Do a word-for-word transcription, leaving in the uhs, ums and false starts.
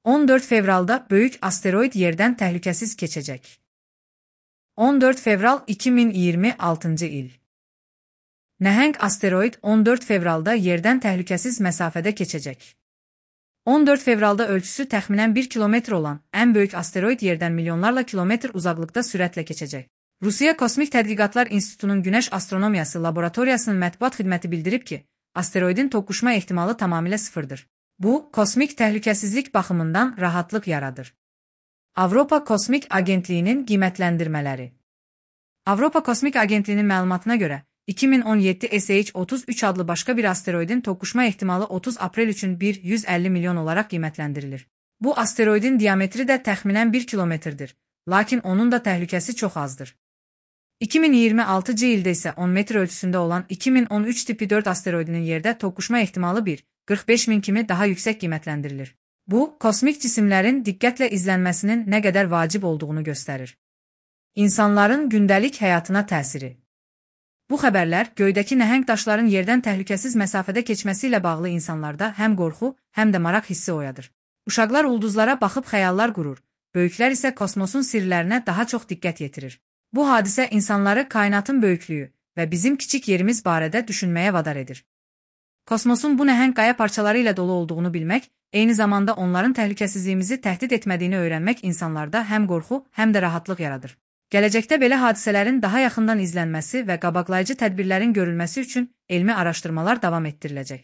on dörd fevralda böyük asteroid yerdən təhlükəsiz keçəcək. on dörd fevral iki min iyirmi altıncı il. Nəhəng asteroid on dörd fevralda yerdən təhlükəsiz məsafədə keçəcək. on dörd fevralda ölçüsü təxminən bir kilometr olan ən böyük asteroid yerdən milyonlarla kilometr uzaqlıqda sürətlə keçəcək. Rusiya Kosmik Tədqiqatlar İnstitutunun Günəş Astronomiyası Laboratoriyasının mətbuat xidməti bildirib ki, asteroidin toqquşma ehtimalı tamamilə sıfırdır. Bu, kosmik təhlükəsizlik baxımından rahatlıq yaradır. Avropa Kosmik Agentliyinin qiymətləndirmələri. Avropa Kosmik Agentliyinin məlumatına görə, iki min on yeddi S H otuz üç adlı başqa bir asteroidin toqquşma ehtimalı otuz aprel üçün bir yüz əlli milyon olaraq qiymətləndirilir. Bu asteroidin diametri də təxminən bir kilometrdir, lakin onun da təhlükəsi çox azdır. iki min iyirmi altıncı ildə isə on metr ölçüsündə olan iki min on üç tipi dörd asteroidinin yerdə toqquşma ehtimalı bir qırx beş min kimi daha yüksək qiymətləndirilir. Bu, kosmik cisimlərin diqqətlə izlənməsinin nə qədər vacib olduğunu göstərir. İnsanların gündəlik həyatına təsiri. Bu xəbərlər göydəki nəhəng daşların yerdən təhlükəsiz məsafədə keçməsi ilə bağlı insanlarda həm qorxu, həm də maraq hissi oyadır. Uşaqlar ulduzlara baxıb xəyallar qurur, böyüklər isə kosmosun sirlərinə daha çox diqqət yetirir. Bu hadisə insanları kainatın böyüklüyü və bizim kiçik yerimiz barədə düşünməyə vadar edir. Kosmosun bu nəhəng qaya parçaları ilə dolu olduğunu bilmək, eyni zamanda onların təhlükəsizliyimizi təhdid etmədiyini öyrənmək insanlarda həm qorxu, həm də rahatlıq yaradır. Gələcəkdə belə hadisələrin daha yaxından izlənməsi və qabaqlayıcı tədbirlərin görülməsi üçün elmi araşdırmalar davam etdiriləcək.